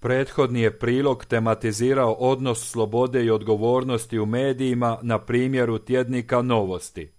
Prethodni je prilog tematizirao odnos slobode i odgovornosti u medijima na primjeru tjednika Novosti.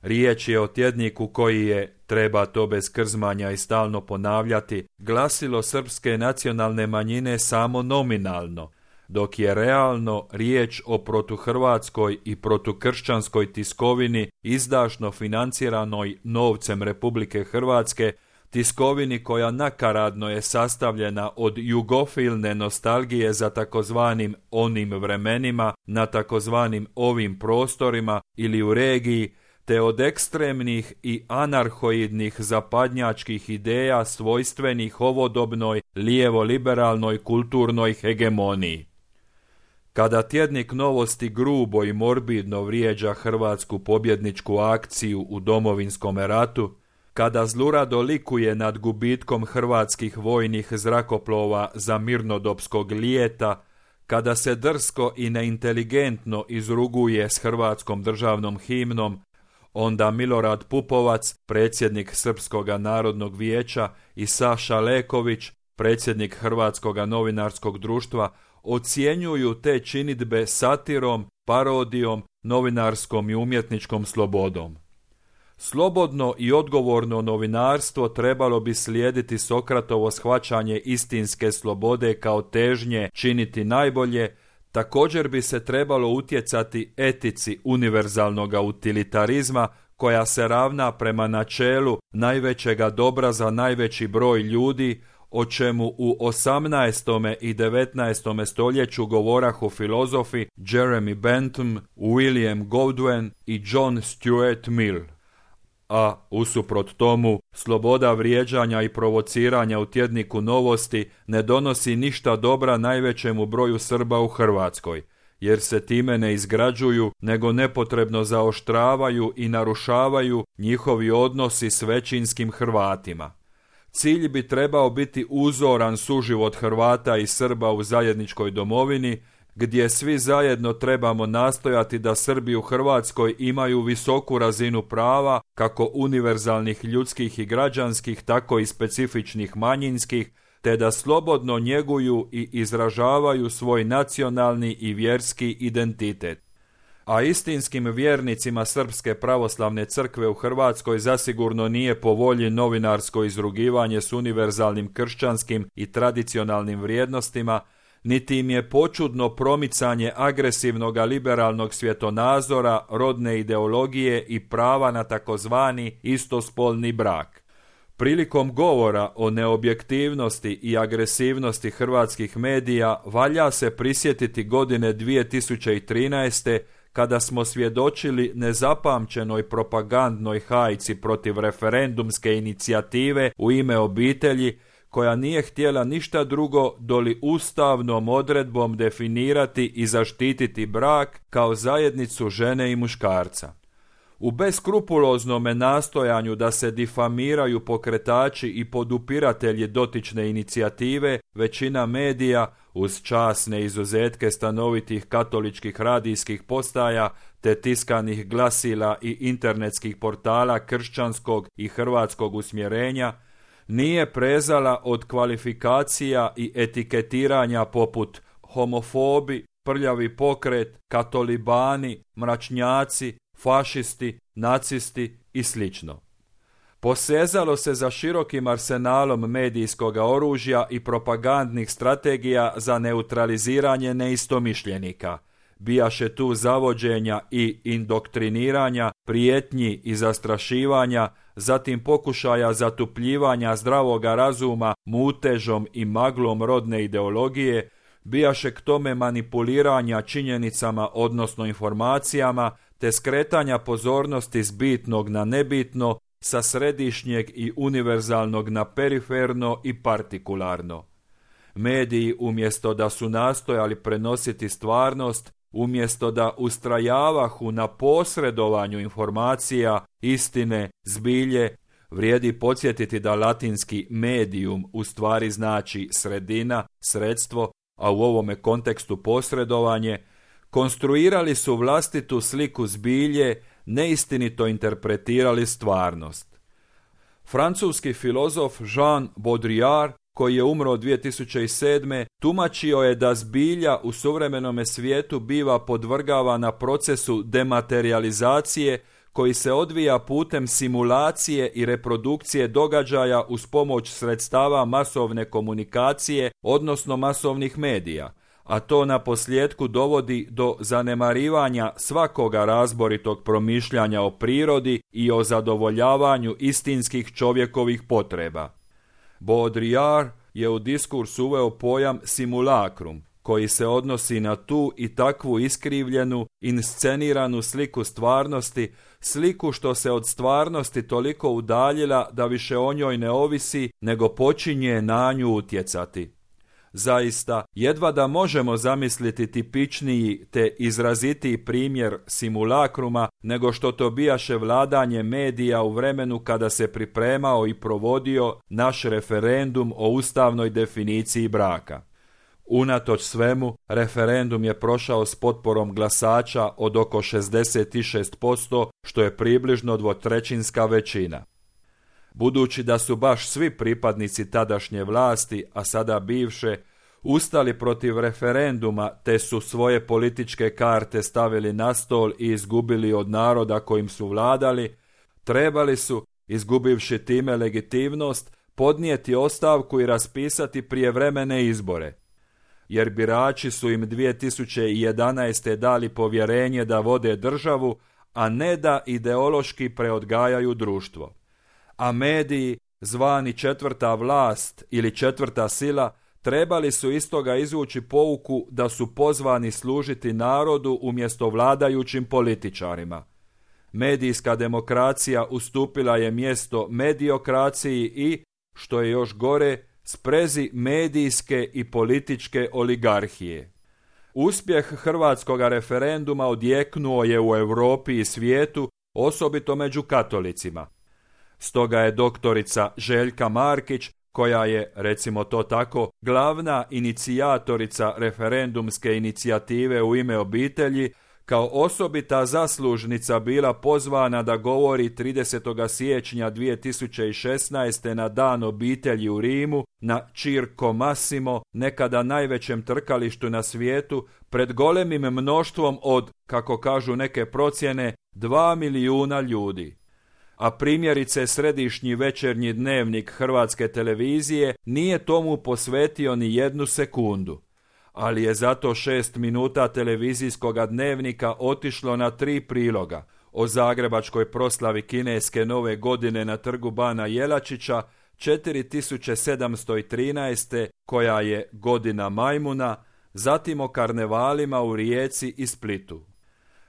Riječ je o tjedniku koji je, treba to bez krzmanja i stalno ponavljati, glasilo srpske nacionalne manjine samo nominalno, dok je realno riječ o protuhrvatskoj i protukršćanskoj tiskovini izdašno financiranoj novcem Republike Hrvatske, tiskovini koja nakaradno je sastavljena od jugofilne nostalgije za takozvanim onim vremenima na takozvanim ovim prostorima ili u regiji, te od ekstremnih i anarhoidnih zapadnjačkih ideja svojstvenih ovodobnoj lijevo-liberalnoj kulturnoj hegemoniji. Kada tjednik Novosti grubo i morbidno vrijeđa hrvatsku pobjedničku akciju u Domovinskom ratu, kada zlurado likuje nad gubitkom hrvatskih vojnih zrakoplova za mirnodopskog lijeta, kada se drsko i neinteligentno izruguje s hrvatskom državnom himnom, onda Milorad Pupovac, predsjednik Srpskoga narodnog vijeća, i Saša Leković, predsjednik Hrvatskoga novinarskog društva, ocjenjuju te činidbe satirom, parodijom, novinarskom i umjetničkom slobodom. Slobodno i odgovorno novinarstvo trebalo bi slijediti Sokratovo shvaćanje istinske slobode kao težnje činiti najbolje. Također bi se trebalo utjecati etici univerzalnoga utilitarizma koja se ravna prema načelu najvećega dobra za najveći broj ljudi, o čemu u 18. i 19. stoljeću govorahu filozofi Jeremy Bentham, William Godwin i John Stuart Mill. A, usuprot tomu, sloboda vrijeđanja i provociranja u tjedniku Novosti ne donosi ništa dobra najvećemu broju Srba u Hrvatskoj, jer se time ne izgrađuju, nego nepotrebno zaoštravaju i narušavaju njihovi odnosi s većinskim Hrvatima. Cilj bi trebao biti uzoran suživot Hrvata i Srba u zajedničkoj domovini, gdje svi zajedno trebamo nastojati da Srbi u Hrvatskoj imaju visoku razinu prava, kako univerzalnih ljudskih i građanskih, tako i specifičnih manjinskih, te da slobodno njeguju i izražavaju svoj nacionalni i vjerski identitet. A istinskim vjernicima Srpske pravoslavne crkve u Hrvatskoj zasigurno nije po volji novinarsko izrugivanje s univerzalnim kršćanskim i tradicionalnim vrijednostima, niti im je počudno promicanje agresivnog liberalnog svjetonazora, rodne ideologije i prava na takozvani istospolni brak. Prilikom govora o neobjektivnosti i agresivnosti hrvatskih medija valja se prisjetiti godine 2013. kada smo svjedočili nezapamćenoj propagandnoj hajci protiv referendumske inicijative u ime obitelji, koja nije htjela ništa drugo doli ustavnom odredbom definirati i zaštititi brak kao zajednicu žene i muškarca. U beskrupuloznome nastojanju da se difamiraju pokretači i podupiratelji dotične inicijative, većina medija, uz časne izuzetke stanovitih katoličkih radijskih postaja te tiskanih glasila i internetskih portala kršćanskog i hrvatskog usmjerenja, nije prezala od kvalifikacija i etiketiranja poput homofobi, prljavi pokret, katolibani, mračnjaci, fašisti, nacisti i sl. Posezalo se za širokim arsenalom medijskog oružja i propagandnih strategija za neutraliziranje neistomišljenika. Bijaše tu zavođenja i indoktriniranja, prijetnji i zastrašivanja, zatim pokušaja zatupljivanja zdravoga razuma mutežom i maglom rodne ideologije, bijaše k tome manipuliranja činjenicama odnosno informacijama, te skretanja pozornosti s bitnog na nebitno, sa središnjeg i univerzalnog na periferno i partikularno. Mediji, umjesto da su nastojali prenositi stvarnost, umjesto da ustrajavahu na posredovanju informacija, istine, zbilje, vrijedi podsjetiti da latinski medium u stvari znači sredina, sredstvo, a u ovome kontekstu posredovanje, konstruirali su vlastitu sliku zbilje, neistinito interpretirali stvarnost. Francuski filozof Jean Baudrillard koji je umro 2007. tumačio je da zbilja u suvremenome svijetu biva podvrgavana procesu dematerializacije koji se odvija putem simulacije i reprodukcije događaja uz pomoć sredstava masovne komunikacije, odnosno masovnih medija, a to na posljedku dovodi do zanemarivanja svakoga razboritog promišljanja o prirodi i o zadovoljavanju istinskih čovjekovih potreba. Baudrillard je u diskurs uveo pojam simulakrum, koji se odnosi na tu i takvu iskrivljenu, insceniranu sliku stvarnosti, sliku što se od stvarnosti toliko udaljila da više o njoj ne ovisi, nego počinje na nju utjecati. Zaista, jedva da možemo zamisliti tipičniji te izrazitiji primjer simulakruma nego što to bijaše vladanje medija u vremenu kada se pripremao i provodio naš referendum o ustavnoj definiciji braka. Unatoč svemu, referendum je prošao s potporom glasača od oko 66%, što je približno dvotrećinska većina. Budući da su baš svi pripadnici tadašnje vlasti, a sada bivše, ustali protiv referenduma te su svoje političke karte stavili na stol i izgubili od naroda kojim su vladali, trebali su, izgubivši time legitimnost, podnijeti ostavku i raspisati prijevremene izbore. Jer birači su im 2011. dali povjerenje da vode državu, a ne da ideološki preodgajaju društvo. A mediji, zvani četvrta vlast ili četvrta sila, trebali su iz toga izvući pouku da su pozvani služiti narodu umjesto vladajućim političarima. Medijska demokracija ustupila je mjesto mediokraciji i, što je još gore, sprezi medijske i političke oligarhije. Uspjeh hrvatskog referenduma odjeknuo je u Europi i svijetu, osobito među katolicima. Stoga je doktorica Željka Markić, koja je, recimo to tako, glavna inicijatorica referendumske inicijative U ime obitelji, kao osobita zaslužnica bila pozvana da govori 30. siječnja 2016. na Dan obitelji u Rimu, na Circo Massimo, nekada najvećem trkalištu na svijetu, pred golemim mnoštvom od, kako kažu neke procjene, 2 milijuna ljudi. A primjerice središnji večernji dnevnik Hrvatske televizije nije tomu posvetio ni jednu sekundu. Ali je zato 6 minuta televizijskoga dnevnika otišlo na 3 priloga o zagrebačkoj proslavi kineske nove godine na trgu Bana Jelačića 4713. koja je godina majmuna, zatim o karnevalima u Rijeci i Splitu.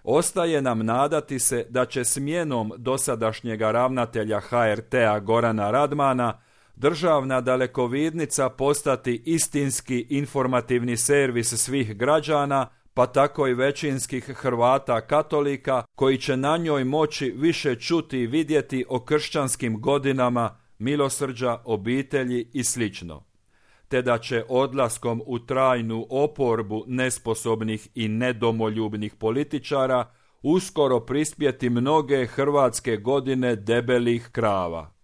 Ostaje nam nadati se da će smjenom dosadašnjega ravnatelja HRT-a Gorana Radmana državna dalekovidnica postati istinski informativni servis svih građana, pa tako i većinskih Hrvata katolika koji će na njoj moći više čuti i vidjeti o kršćanskim godinama, milosrđa, obitelji i sl. Te da će odlaskom u trajnu oporbu nesposobnih i nedomoljubnih političara uskoro prispjeti mnoge hrvatske godine debelih krava.